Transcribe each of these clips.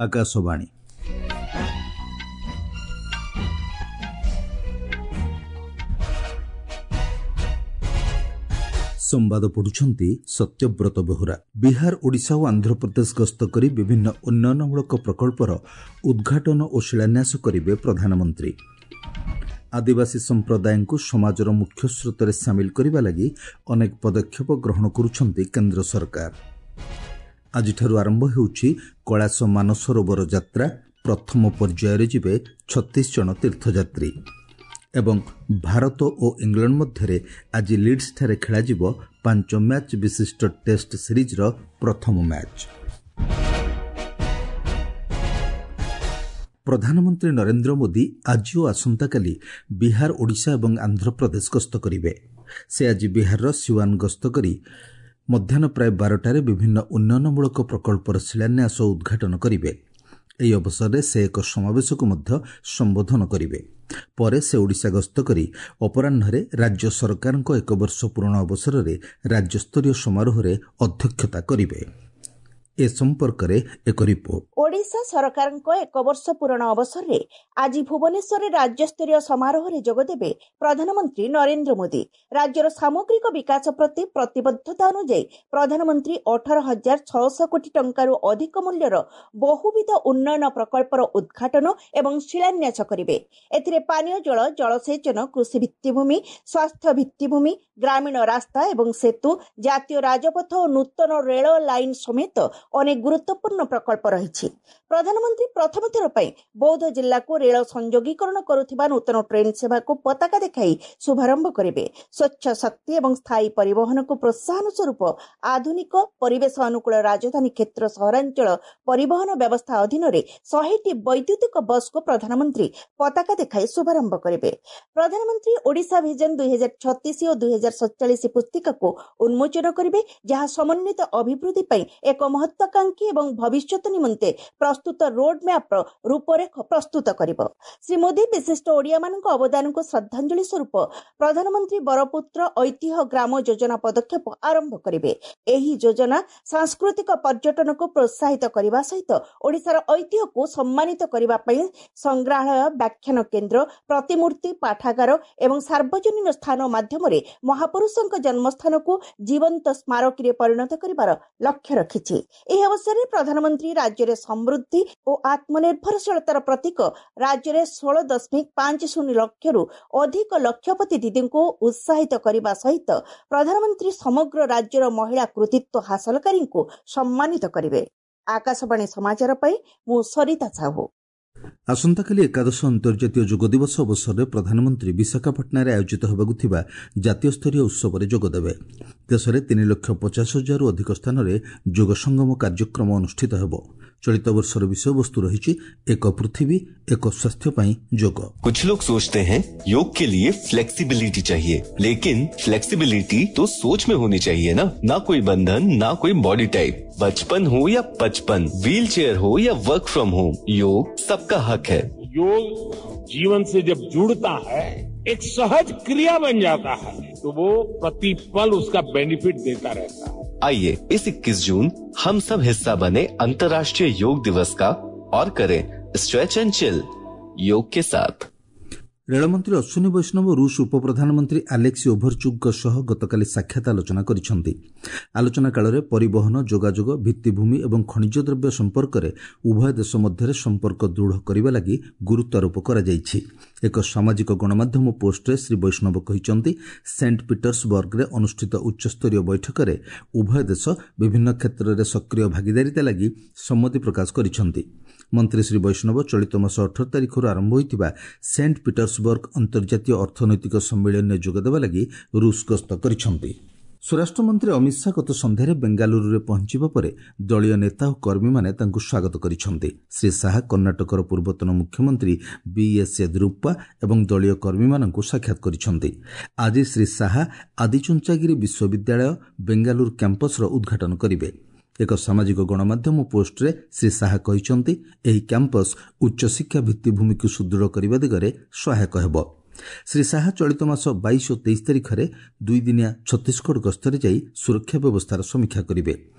ଆକାଶବାଣୀ। ସମ୍ବାଦ ପଢୁଛନ୍ତି ସତ୍ୟବ୍ରତ ବେହୁରା। ବିହାର, ଓଡ଼ିଶା ଓ ଆନ୍ଧ୍ରପ୍ରଦେଶ ଗସ୍ତ କରି ବିଭିନ୍ନ ଉନ୍ନୟନମୂଳକ ପ୍ରକଳ୍ପର ଉଦ୍ଘାଟନ ଓ ଶିଳାନ୍ୟାସ କରିବେ ପ୍ରଧାନମନ୍ତ୍ରୀ। ଆଦିବାସୀ ସମ୍ପ୍ରଦାୟଙ୍କୁ ସମାଜର ମୁଖ୍ୟସ୍ରୋତରେ ସାମିଲ କରିବା ଲାଗି ଅନେକ ପଦକ୍ଷେପ ଗ୍ରହଣ କରୁଛନ୍ତି କେନ୍ଦ୍ର ସରକାର। ଆଜିଠାରୁ ଆରମ୍ଭ ହେଉଛି କୈଳାସ ମାନସରୋବର ଯାତ୍ରା। ପ୍ରଥମ ପର୍ଯ୍ୟାୟରେ ଯିବେ 36 ଜଣ ତୀର୍ଥଯାତ୍ରୀ। ଏବଂ ଭାରତ ଓ ଇଂଲଣ୍ଡ ମଧ୍ୟରେ ଆଜି ଲିଡ୍ସଠାରେ ଖେଳାଯିବ 5 ମ୍ୟାଚ୍ ବିଶିଷ୍ଟ ଟେଷ୍ଟ ସିରିଜ୍ର ପ୍ରଥମ ମ୍ୟାଚ୍। ପ୍ରଧାନମନ୍ତ୍ରୀ ନରେନ୍ଦ୍ର ମୋଦି ଆଜି ଓ ଆସନ୍ତାକାଲି ବିହାର, ଓଡ଼ିଶା ଏବଂ ଆନ୍ଧ୍ରପ୍ରଦେଶ ଗସ୍ତ କରିବେ। ସେ ଆଜି ବିହାରର ସିୱାନ ଗସ୍ତ କରି ମଧ୍ୟାହ୍ନ ପ୍ରାୟ 12ଟାରେ ବିଭିନ୍ନ ଉନ୍ନୟନମୂଳକ ପ୍ରକଳ୍ପର ଶିଳାନ୍ୟାସ ଓ ଉଦ୍ଘାଟନ କରିବେ। ଏହି ଅବସରରେ ସେ ଏକ ସମାବେଶକୁ ମଧ୍ୟ ସମ୍ବୋଧନ କରିବେ। ପରେ ସେ ଓଡ଼ିଶା ଗସ୍ତ କରି ଅପରାହ୍ନରେ ରାଜ୍ୟ ସରକାରଙ୍କ ଏକ ବର୍ଷ ପୂରଣ ଅବସରରେ ରାଜ୍ୟସ୍ତରୀୟ ସମାରୋହରେ ଅଧ୍ୟକ୍ଷତା କରିବେ। ଏ ସମ୍ପର୍କରେ ଏକ ରିପୋର୍ଟ। ଓଡ଼ିଶା ସରକାରଙ୍କ ଏକ ବର୍ଷ ପୂରଣ ଅବସରରେ ଆଜି ଭୁବନେଶ୍ୱରରେ ରାଜ୍ୟସ୍ତରୀୟ ସମାରୋହରେ ଯୋଗଦେବେ ପ୍ରଧାନମନ୍ତ୍ରୀ ନରେନ୍ଦ୍ର ମୋଦି। ରାଜ୍ୟର ସାମଗ୍ରିକ ବିକାଶ ପ୍ରତି ପ୍ରତିବଦ୍ଧତା ଅନୁଯାୟୀ ପ୍ରଧାନମନ୍ତ୍ରୀ 18,600 କୋଟି ଟଙ୍କାରୁ ଅଧିକ ମୂଲ୍ୟର ବହୁବିଧ ଉନ୍ନୟନ ପ୍ରକଳ୍ପର ଉଦ୍ଘାଟନ ଏବଂ ଶିଳାନ୍ୟାସ କରିବେ। ଏଥିରେ ପାନୀୟ ଜଳ, ଜଳସେଚନ, କୃଷି ଭିତ୍ତିଭୂମି, ସ୍ୱାସ୍ଥ୍ୟ ଭିତ୍ତିଭୂମି, ଗ୍ରାମୀଣ ରାସ୍ତା ଏବଂ ସେତୁ, ଜାତୀୟ ରାଜପଥ ଓ ନୂତନ ରେଳ ଲାଇନ୍ ସମେତ ଅନେକ ଗୁରୁତ୍ୱପୂର୍ଣ୍ଣ ପ୍ରକଳ୍ପ ରହିଛି। ପ୍ରଧାନମନ୍ତ୍ରୀ ପ୍ରଥମ ଥର ପାଇଁ ବୌଦ୍ଧ ଜିଲ୍ଲାକୁ ରେଳ ସଂଯୋଗୀକରଣ କରୁଥିବା ନୂତନ ଟ୍ରେନ୍ ସେବାକୁ ପତାକା ଦେଖାଇ ଶୁଭାରମ୍ଭ କରିବେ। ସ୍ୱଚ୍ଛ ଶକ୍ତି ଏବଂ ସ୍ଥାୟୀ ପରିବହନକୁ ପ୍ରୋତ୍ସାହନ ସ୍ୱରୂପ ଆଧୁନିକ ପରିବେଶ ଅନୁକୂଳ ରାଜଧାନୀ କ୍ଷେତ୍ର ସହରାଞ୍ଚଳ ପରିବହନ ବ୍ୟବସ୍ଥା ଅଧୀନରେ 100ଟି ବୈଦ୍ୟୁତିକ ବସ୍କୁ ପ୍ରଧାନମନ୍ତ୍ରୀ ପତାକା ଦେଖାଇ ଶୁଭାରମ୍ଭ କରିବେ। ପ୍ରଧାନମନ୍ତ୍ରୀ ଓଡ଼ିଶା ଭିଜନ 2036 ଓ 2047 ପୁସ୍ତିକାକୁ ଉନ୍ମୋଚନ କରିବେ, ଯାହା ସମନ୍ୱିତ ଅଭିବୃଦ୍ଧି ପାଇଁ ଏକ ମହତ୍ୱାକାଂକ୍ଷୀ ଏବଂ ଭବିଷ୍ୟତ ନିମନ୍ତେ ପ୍ରସ୍ତୁତ ରୋଡ୍ ମ୍ୟାପ୍ର ରୂପରେଖ ପ୍ରସ୍ତୁତ କରିବ। ଶ୍ରୀ ମୋଦି ବିଶିଷ୍ଟ ଓଡ଼ିଆମାନଙ୍କ ଅବଦାନକୁ ଶ୍ରଦ୍ଧାଞ୍ଜଳି ସ୍ୱରୂପ ପ୍ରଧାନମନ୍ତ୍ରୀ ବରପୁତ୍ର ଐତିହ୍ୟ ଗ୍ରାମ ଯୋଜନା ପଦକ୍ଷେପ ଆରମ୍ଭ କରିବେ। ଏହି ଯୋଜନା ସାଂସ୍କୃତିକ ପର୍ଯ୍ୟଟନକୁ ପ୍ରୋତ୍ସାହିତ କରିବା ସହିତ ଓଡ଼ିଶାର ଐତିହ୍ୟକୁ ସମ୍ମାନିତ କରିବା ପାଇଁ ସଂଗ୍ରହାଳୟ, ବ୍ୟାଖ୍ୟାନ କେନ୍ଦ୍ର, ପ୍ରତିମୂର୍ତ୍ତି, ପାଠାଗାର ଏବଂ ସାର୍ବଜନୀନ ସ୍ଥାନ ମାଧ୍ୟମରେ ମହାପୁରୁଷଙ୍କ ଜନ୍ମସ୍ଥାନକୁ ଜୀବନ୍ତ ସ୍ମାରକୀରେ ପରିଣତ କରିବାର ଲକ୍ଷ୍ୟ ରଖିଛି। ଏହି ଅବସରରେ ପ୍ରଧାନମନ୍ତ୍ରୀ ରାଜ୍ୟରେ ସମୃଦ୍ଧି ଓ ଆତ୍ମନିର୍ଭରଶୀଳତାର ପ୍ରତୀକ ରାଜ୍ୟରେ 16.50 ଲକ୍ଷରୁ ଅଧିକ ଲକ୍ଷପତି ଦିଦିଙ୍କୁ ଉତ୍ସାହିତ କରିବା ସହିତ ପ୍ରଧାନମନ୍ତ୍ରୀ ସମଗ୍ର ରାଜ୍ୟର ମହିଳା କୃତିତ୍ୱ ହାସଲକାରୀଙ୍କୁ ସମ୍ମାନିତ କରିବେ। ଆକାଶବାଣୀ ସମାଚାର ପାଇଁ ମୁଁ ସରିତା ସାହୁ। ଆସନ୍ତାକାଲି ଏକାଦଶ ଅନ୍ତର୍ଜାତୀୟ ଯୋଗ ଦିବସ ଅବସରରେ ପ୍ରଧାନମନ୍ତ୍ରୀ ବିଶାଖାପାଟଣାରେ ଆୟୋଜିତ ହେବାକୁ ଥିବା ଜାତୀୟ ସ୍ତରୀୟ ଉତ୍ସବରେ ଯୋଗଦେବେ। ଦେଶରେ 3,50,000ରୁ ଅଧିକ ସ୍ଥାନରେ ଯୋଗ ସଙ୍ଗମ କାର୍ଯ୍ୟକ୍ରମ ଅନୁଷ୍ଠିତ ହେବ। ଚଳିତ ବର୍ଷର ବିଷୟବସ୍ତୁ ରହିଛି ଏକ ପୃଥିବୀ ଏକ ସ୍ୱାସ୍ଥ୍ୟ ପାଇଁ ଯୋଗ। कुछ लोग सोचते हैं योग के लिए फ्लेक्सिबिलिटी चाहिए, लेकिन फ्लेक्सिबिलिटी तो सोच में होनी चाहिए ना। ना कोई बंधन, ना कोई बॉडी टाइप, बचपन हो या 55, व्हील चेयर हो या वर्क फ्रॉम होम, योग सबका हक है। योग जीवन से जब जुड़ता है, एक सहज क्रिया बन जाता है, तो वो प्रतिपल उसका बेनिफिट देता रहता है। आइए इस 21 जून हम सब हिस्सा बने अंतर्राष्ट्रीय योग दिवस का और करें स्ट्रेच एंड चिल योग के साथ। ରେଳମନ୍ତ୍ରୀ ଅଶ୍ୱିନୀ ବୈଷ୍ଣବ ରୁଷ ଉପପ୍ରଧାନମନ୍ତ୍ରୀ ଆଲେକ୍ସି ଓଭରଚୁକ୍ଙ୍କ ସହ ଗତକାଲି ସାକ୍ଷାତ ଆଲୋଚନା କରିଛନ୍ତି। ଆଲୋଚନା କାଳରେ ପରିବହନ, ଯୋଗାଯୋଗ, ଭିତ୍ତିଭୂମି ଏବଂ ଖଣିଜ ଦ୍ରବ୍ୟ ସମ୍ପର୍କରେ ଉଭୟ ଦେଶ ମଧ୍ୟରେ ସମ୍ପର୍କ ଦୃଢ଼ କରିବା ଲାଗି ଗୁରୁତ୍ୱାରୋପ କରାଯାଇଛି। ଏକ ସାମାଜିକ ଗଣମାଧ୍ୟମ ପୋଷ୍ଟରେ ଶ୍ରୀ ବୈଷ୍ଣବ କହିଛନ୍ତି, ସେଣ୍ଟ ପିଟର୍ସବର୍ଗରେ ଅନୁଷ୍ଠିତ ଉଚ୍ଚସ୍ତରୀୟ ବୈଠକରେ ଉଭୟ ଦେଶ ବିଭିନ୍ନ କ୍ଷେତ୍ରରେ ସକ୍ରିୟ ଭାଗିଦାରିତା ଲାଗି ସମ୍ମତି ପ୍ରକାଶ କରିଛନ୍ତି। ମନ୍ତ୍ରୀ ଶ୍ରୀ ବୈଷ୍ଣବ ଚଳିତ ମାସ 18 ତାରିଖରୁ ଆରମ୍ଭ ହୋଇଥିବା ସେଣ୍ଟ ପିଟର୍ସବର୍ଗ ଅନ୍ତର୍ଜାତୀୟ ଅର୍ଥନୈତିକ ସମ୍ମିଳନୀରେ ଯୋଗଦେବା ଲାଗି ରୁଷ ଗସ୍ତ କରିଛନ୍ତି। ସ୍ୱରାଷ୍ଟ୍ରମନ୍ତ୍ରୀ ଅମିତ ଶାହା ଗତ ସନ୍ଧ୍ୟାରେ ବେଙ୍ଗାଲୁରୁରେ ପହଞ୍ଚିବା ପରେ ଦଳୀୟ ନେତା ଓ କର୍ମୀମାନେ ତାଙ୍କୁ ସ୍ୱାଗତ କରିଛନ୍ତି। ଶ୍ରୀ ଶାହା କର୍ଣ୍ଣାଟକର ପୂର୍ବତନ ମୁଖ୍ୟମନ୍ତ୍ରୀ ବିଏସ୍ ୟେଦୁରପ୍ପା ଏବଂ ଦଳୀୟ କର୍ମୀମାନଙ୍କୁ ସାକ୍ଷାତ କରିଛନ୍ତି। ଆଜି ଶ୍ରୀ ଶାହା ଆଦିଚୁଞ୍ଚାଗିରି ବିଶ୍ୱବିଦ୍ୟାଳୟ ବେଙ୍ଗାଲୁରୁ କ୍ୟାମ୍ପସର ଉଦ୍ଘାଟନ କରିବେ। ଏକ ସାମାଜିକ ଗଣମାଧ୍ୟମ ପୋଷ୍ଟରେ ଶ୍ରୀ ଶାହା କହିଛନ୍ତି, ଏହି କ୍ୟାମ୍ପସ୍ ଉଚ୍ଚଶିକ୍ଷା ଭିତ୍ତିଭୂମିକୁ ସୁଦୃଢ଼ କରିବା ଦିଗରେ ସହାୟକ ହେବ। ଶ୍ରୀ ଶାହା ଚଳିତ ମାସ 22 ଓ 23 ତାରିଖରେ ଦୁଇଦିନିଆ ଛତିଶଗଡ଼ ଗସ୍ତରେ ଯାଇ ସୁରକ୍ଷା ବ୍ୟବସ୍ଥାର ସମୀକ୍ଷା କରିବେ।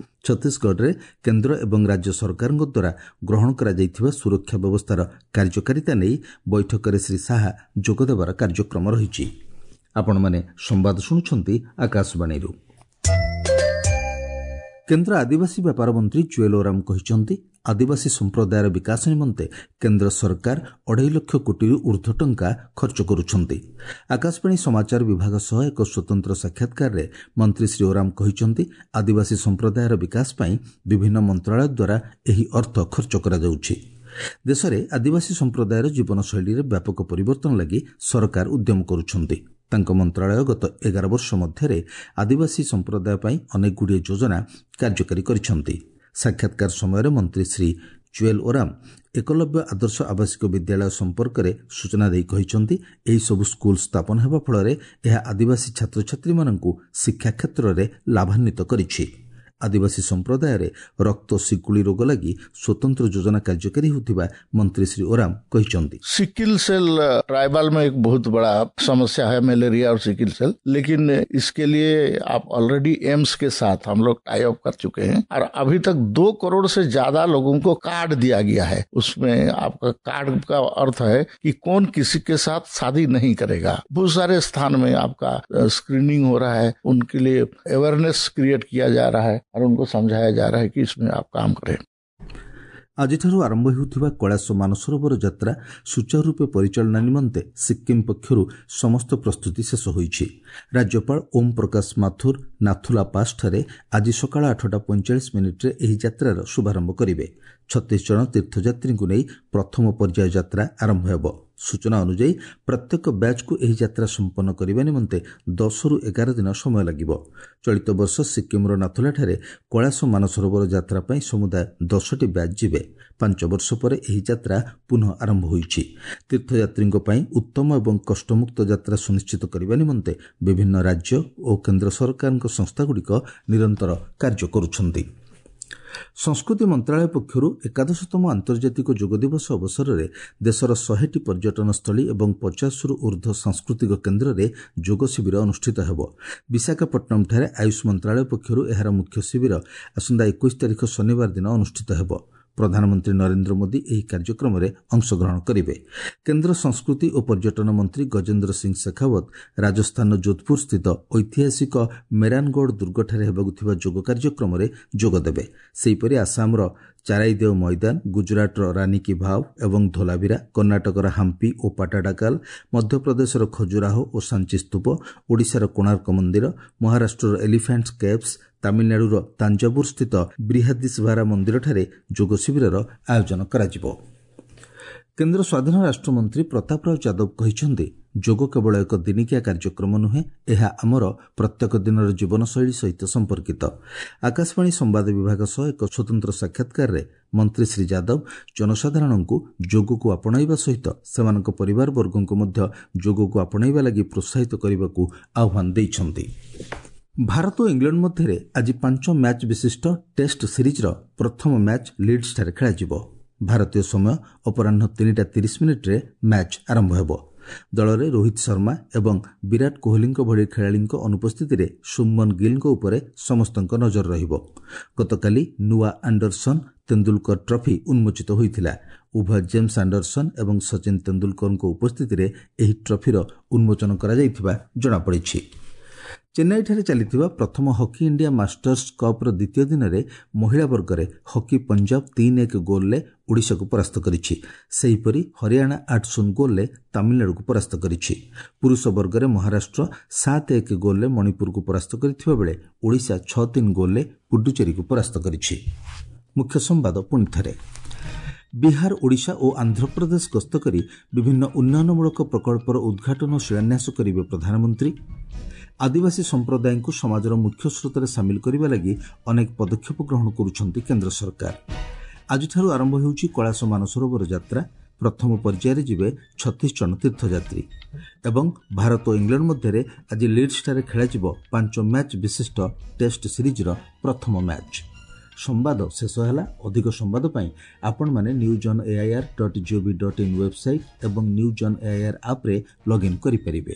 ଛତିଶଗଡ଼ରେ କେନ୍ଦ୍ର ଏବଂ ରାଜ୍ୟ ସରକାରଙ୍କ ଦ୍ୱାରା ଗ୍ରହଣ କରାଯାଇଥିବା ସୁରକ୍ଷା ବ୍ୟବସ୍ଥାର କାର୍ଯ୍ୟକାରିତା ନେଇ ବୈଠକରେ ଶ୍ରୀ ଶାହା ଯୋଗଦେବାର କାର୍ଯ୍ୟକ୍ରମ ରହିଛି। ଆପଣମାନେ ସମ୍ବାଦ ଶୁଣୁଛନ୍ତି ଆକାଶବାଣୀରୁ। କେନ୍ଦ୍ର ଆଦିବାସୀ ବ୍ୟାପାର ମନ୍ତ୍ରୀ ଜୁଏଲ ଓରାମ କହିଛନ୍ତି, ଆଦିବାସୀ ସମ୍ପ୍ରଦାୟର ବିକାଶ ନିମନ୍ତେ କେନ୍ଦ୍ର ସରକାର 2.5 ଲକ୍ଷ କୋଟିରୁ ଉର୍ଦ୍ଧ୍ୱ ଟଙ୍କା ଖର୍ଚ୍ଚ କରୁଛନ୍ତି। ଆକାଶବାଣୀ ସମାଚାର ବିଭାଗ ସହ ଏକ ସ୍ୱତନ୍ତ୍ର ସାକ୍ଷାତକାରରେ ମନ୍ତ୍ରୀ ଶ୍ରୀ ଓରାମ କହିଛନ୍ତି, ଆଦିବାସୀ ସମ୍ପ୍ରଦାୟର ବିକାଶ ପାଇଁ ବିଭିନ୍ନ ମନ୍ତ୍ରଣାଳୟ ଦ୍ୱାରା ଏହି ଅର୍ଥ ଖର୍ଚ୍ଚ କରାଯାଉଛି। ଦେଶରେ ଆଦିବାସୀ ସମ୍ପ୍ରଦାୟର ଜୀବନଶୈଳୀରେ ବ୍ୟାପକ ପରିବର୍ତ୍ତନ ଲାଗି ସରକାର ଉଦ୍ୟମ କରୁଛନ୍ତି। ତାଙ୍କ ମନ୍ତ୍ରଣାଳୟ ଗତ 11 ବର୍ଷ ମଧ୍ୟରେ ଆଦିବାସୀ ସମ୍ପ୍ରଦାୟ ପାଇଁ ଅନେକଗୁଡ଼ିଏ ଯୋଜନା କାର୍ଯ୍ୟକାରୀ କରିଛନ୍ତି। ସାକ୍ଷାତକାର ସମୟରେ ମନ୍ତ୍ରୀ ଶ୍ରୀ ଜୁଏଲ ଓରାମ ଏକଲବ୍ୟ ଆଦର୍ଶ ଆବାସିକ ବିଦ୍ୟାଳୟ ସମ୍ପର୍କରେ ସୂଚନା ଦେଇ କହିଛନ୍ତି, ଏହିସବୁ ସ୍କୁଲ ସ୍ଥାପନ ହେବା ଫଳରେ ଏହା ଆଦିବାସୀ ଛାତ୍ରଛାତ୍ରୀମାନଙ୍କୁ ଶିକ୍ଷା କ୍ଷେତ୍ରରେ ଲାଭାନ୍ୱିତ କରିଛି। ଆଦିବାସୀ ସମ୍ପ୍ରଦାୟରେ ରକ୍ତ ଶିକୁଳି ରୋଗ ଲାଗି ସ୍ୱତନ୍ତ୍ର ଯୋଜନା କାର୍ଯ୍ୟକାରୀ ହେଉଥିବା ମନ୍ତ୍ରୀ ଶ୍ରୀ ଓରାମ କହିଛନ୍ତି। सिकिल सेल ट्राइबल में एक बहुत बड़ा समस्या है, मलेरिया और सिकिल सेल, लेकिन इसके लिए आप ऑलरेडी एम्स के साथ हम लोग टाई अप कर चुके हैं और अभी तक 2 करोड़ से ज्यादा लोगों को कार्ड दिया गया है। उसमें आपका कार्ड का अर्थ है कि कौन किसी के साथ शादी नहीं करेगा। बहुत सारे स्थान में आपका स्क्रीनिंग हो रहा है, उनके लिए अवेयरनेस क्रिएट किया जा रहा है और उनको समझाया जा रहा है कि इसमें आप काम करें। ଆଜିଠାରୁ ଆରମ୍ଭ ହେଉଥିବା କୈଳାସ ମାନସରୋବର ଯାତ୍ରା ସୁଚାରୁ ରୂପେ ପରିଚାଳନା ନିମନ୍ତେ ସିକ୍କିମ୍ ପକ୍ଷରୁ ସମସ୍ତ ପ୍ରସ୍ତୁତି ଶେଷ ହୋଇଛି। ରାଜ୍ୟପାଳ ଓମ୍ ପ୍ରକାଶ ମାଥୁର ନାଥୁଲା ପାସ୍ଠାରେ ଆଜି ସକାଳ 8:45 ଏହି ଯାତ୍ରାର ଶୁଭାରମ୍ଭ କରିବେ। 36 ଜଣ ତୀର୍ଥଯାତ୍ରୀଙ୍କୁ ନେଇ ପ୍ରଥମ ପର୍ଯ୍ୟାୟ ଯାତ୍ରା ଆରମ୍ଭ ହେବ। ସୂଚନା ଅନୁଯାୟୀ ପ୍ରତ୍ୟେକ ବ୍ୟାଚ୍କୁ ଏହି ଯାତ୍ରା ସମ୍ପନ୍ନ କରିବା ନିମନ୍ତେ 10ରୁ 11 ଦିନ ସମୟ ଲାଗିବ। ଚଳିତ ବର୍ଷ ସିକ୍କିମ୍ର ନାଥୁଲାଠାରେ କୈଳାସ ମାନସରୋବର ଯାତ୍ରା ପାଇଁ ସମୁଦାୟ 10ଟି ବ୍ୟାଚ୍ ଯିବେ। 5 ବର୍ଷ ପରେ ଏହି ଯାତ୍ରା ପୁନଃ ଆରମ୍ଭ ହୋଇଛି। ତୀର୍ଥଯାତ୍ରୀଙ୍କ ପାଇଁ ଉତ୍ତମ ଏବଂ କଷ୍ଟମୁକ୍ତ ଯାତ୍ରା ସୁନିଶ୍ଚିତ କରିବା ନିମନ୍ତେ ବିଭିନ୍ନ ରାଜ୍ୟ ଓ କେନ୍ଦ୍ର ସରକାରଙ୍କ ସଂସ୍ଥାଗୁଡ଼ିକ ନିରନ୍ତର କାର୍ଯ୍ୟ କରୁଛନ୍ତି। ସଂସ୍କୃତି ମନ୍ତ୍ରଣାଳୟ ପକ୍ଷରୁ 81ତମ ଆନ୍ତର୍ଜାତିକ ଯୋଗ ଦିବସ ଅବସରରେ ଦେଶର 100ଟି ପର୍ଯ୍ୟଟନସ୍ଥଳୀ ଏବଂ 50ରୁ ଉର୍ଦ୍ଧ୍ୱ ସାଂସ୍କୃତିକ କେନ୍ଦ୍ରରେ ଯୋଗ ଶିବିର ଅନୁଷ୍ଠିତ ହେବ। ବିଶାଖାପଟ୍ଟନମଠାରେ ଆୟୁଷ ମନ୍ତ୍ରଣାଳୟ ପକ୍ଷରୁ ଏହାର ମୁଖ୍ୟ ଶିବିର ଆସନ୍ତା 21 ତାରିଖ ଶନିବାର ଦିନ ଅନୁଷ୍ଠିତ ହେବ। ପ୍ରଧାନମନ୍ତ୍ରୀ ନରେନ୍ଦ୍ର ମୋଦି ଏହି କାର୍ଯ୍ୟକ୍ରମରେ ଅଂଶଗ୍ରହଣ କରିବେ। କେନ୍ଦ୍ର ସଂସ୍କୃତି ଓ ପର୍ଯ୍ୟଟନ ମନ୍ତ୍ରୀ ଗଜେନ୍ଦ୍ର ସିଂ ଶେଖାୱତ ରାଜସ୍ଥାନର ଯୋଧପୁର ସ୍ଥିତ ଐତିହାସିକ ମେରାନଗଡ଼ ଦୁର୍ଗଠାରେ ହେବାକୁ ଥିବା ଯୋଗ କାର୍ଯ୍ୟକ୍ରମରେ ଯୋଗଦେବେ। ସେହିପରି ଆସାମର ଚାରାଇଦେଓ ମଇଦାନ, ଗୁଜରାଟର ରାନୀ କି ଭାವ್ ଏବଂ ଧୋଲାଭିରା, କର୍ଣ୍ଣାଟକର ହାମ୍ପି ଓ ପାଟାଡାକାଲ, ମଧ୍ୟପ୍ରଦେଶର ଖଜୁରାହୋ ଓ ସାଞ୍ଚି ସ୍ତୂପ, ଓଡ଼ିଶାର କୋଣାର୍କ ମନ୍ଦିର, ମହାରାଷ୍ଟ୍ରର ଏଲିଫାଣ୍ଟ କେଭ୍ସ, ତାମିଲନାଡୁର ତାଞ୍ଜାବୁର ସ୍ଥିତ ବ୍ରିହାଦିସ୍ଭାରା ମନ୍ଦିରଠାରେ ଯୋଗ ଶିବିରର ଆୟୋଜନ କରାଯିବ। କେନ୍ଦ୍ର ସ୍ୱାଧୀନ ରାଷ୍ଟ୍ରମନ୍ତ୍ରୀ ପ୍ରତାପ ରାଓ ଯାଦବ କହିଛନ୍ତି, ଯୋଗ କେବଳ ଏକ ଦିନିକିଆ କାର୍ଯ୍ୟକ୍ରମ ନୁହେଁ, ଏହା ଆମର ପ୍ରତ୍ୟେକ ଦିନର ଜୀବନଶୈଳୀ ସହିତ ସମ୍ପର୍କିତ। ଆକାଶବାଣୀ ସମ୍ବାଦ ବିଭାଗ ସହ ଏକ ସ୍ୱତନ୍ତ୍ର ସାକ୍ଷାତକାରରେ ମନ୍ତ୍ରୀ ଶ୍ରୀ ଯାଦବ ଜନସାଧାରଣଙ୍କୁ ଯୋଗକୁ ଆପଣାଇବା ସହିତ ସେମାନଙ୍କ ପରିବାରବର୍ଗଙ୍କୁ ମଧ୍ୟ ଯୋଗକୁ ଆପଣାଇବା ଲାଗି ପ୍ରୋତ୍ସାହିତ କରିବାକୁ ଆହ୍ୱାନ ଦେଇଛନ୍ତି। ଭାରତ ଓ ଇଂଲଣ୍ଡ ମଧ୍ୟରେ ଆଜି 5 ମ୍ୟାଚ୍ ବିଶିଷ୍ଟ ଟେଷ୍ଟ ସିରିଜ୍ର ପ୍ରଥମ ମ୍ୟାଚ୍ ଲିଡ୍ସଠାରେ ଖେଳାଯିବ। ଭାରତୀୟ ସମୟ ଅପରାହ୍ନ 3:30 ମ୍ୟାଚ୍ ଆରମ୍ଭ ହେବ। ଦଳରେ ରୋହିତ ଶର୍ମା ଏବଂ ବିରାଟ କୋହଲିଙ୍କ ଭଳି ଖେଳାଳିଙ୍କ ଅନୁପସ୍ଥିତିରେ ଶୁଭମନ ଗିଲ୍ଙ୍କ ଉପରେ ସମସ୍ତଙ୍କ ନଜର ରହିବ। ଗତକାଲି ନୂଆ ଆଣ୍ଡରସନ୍ ତେନ୍ଦୁଲକର ଟ୍ରଫି ଉନ୍ମୋଚିତ ହୋଇଥିଲା। ଉଭୟ ଜେମ୍ସ ଆଣ୍ଡରସନ୍ ଏବଂ ସଚିନ ତେନ୍ଦୁଲକରଙ୍କ ଉପସ୍ଥିତିରେ ଏହି ଟ୍ରଫିର ଉନ୍ମୋଚନ କରାଯାଇଥିବା ଜଣାପଡ଼ିଛି। ଚେନ୍ନାଇଠାରେ ଚାଲିଥିବା ପ୍ରଥମ ହକି ଇଣ୍ଡିଆ ମାଷ୍ଟର୍ସ କପ୍ର ଦ୍ୱିତୀୟ ଦିନରେ ମହିଳା ବର୍ଗରେ ହକି ପଞ୍ଜାବ 3-1 ଗୋଲ୍ରେ ଓଡ଼ିଶାକୁ ପରାସ୍ତ କରିଛି। ସେହିପରି ହରିୟାଣା 8-0 ଗୋଲ୍ରେ ତାମିଲନାଡୁକୁ ପରାସ୍ତ କରିଛି। ପୁରୁଷ ବର୍ଗରେ ମହାରାଷ୍ଟ୍ର 7-1 ଗୋଲ୍ରେ ମଣିପୁରକୁ ପରାସ୍ତ କରିଥିବା ବେଳେ ଓଡ଼ିଶା 6-3 ଗୋଲ୍ରେ ପୁଡୁଚେରୀକୁ ପରାସ୍ତ କରିଛି। ମୁଖ୍ୟ ସମ୍ବାଦ ପୁଣି ଥରେ। ବିହାର, ଓଡ଼ିଶା ଓ ଆନ୍ଧ୍ରପ୍ରଦେଶ ଗସ୍ତ କରି ବିଭିନ୍ନ ଉନ୍ନୟନମୂଳକ ପ୍ରକଳ୍ପର ଉଦ୍ଘାଟନ ଓ ଶିଳାନ୍ୟାସ କରିବେ ପ୍ରଧାନମନ୍ତ୍ରୀ। ଆଦିବାସୀ ସମ୍ପ୍ରଦାୟଙ୍କୁ ସମାଜର ମୁଖ୍ୟ ସ୍ରୋତରେ ସାମିଲ କରିବା ଲାଗି ଅନେକ ପଦକ୍ଷେପ ଗ୍ରହଣ କରୁଛନ୍ତି କେନ୍ଦ୍ର ସରକାର। ଆଜିଠାରୁ ଆରମ୍ଭ ହେଉଛି କୈଳାସ ମାନସରୋବର ଯାତ୍ରା। ପ୍ରଥମ ପର୍ଯ୍ୟାୟରେ ଯିବେ 36 ଜଣ ତୀର୍ଥଯାତ୍ରୀ। ଏବଂ ଭାରତ ଓ ଇଂଲଣ୍ଡ ମଧ୍ୟରେ ଆଜି ଲିଡ୍ସଠାରେ ଖେଳାଯିବ 5 ମ୍ୟାଚ୍ ବିଶିଷ୍ଟ ଟେଷ୍ଟ ସିରିଜ୍ର ପ୍ରଥମ ମ୍ୟାଚ୍। ସମ୍ବାଦ ଶେଷ ହେଲା। ଅଧିକ ସମ୍ବାଦ ପାଇଁ ଆପଣମାନେ news on AIR dot gov dot in website ଏବଂ ନ୍ୟୁଜ୍ ଅନ୍ ଏଆଇଆର୍ ଆପ୍ରେ ଲଗ୍ଇନ୍ କରିପାରିବେ।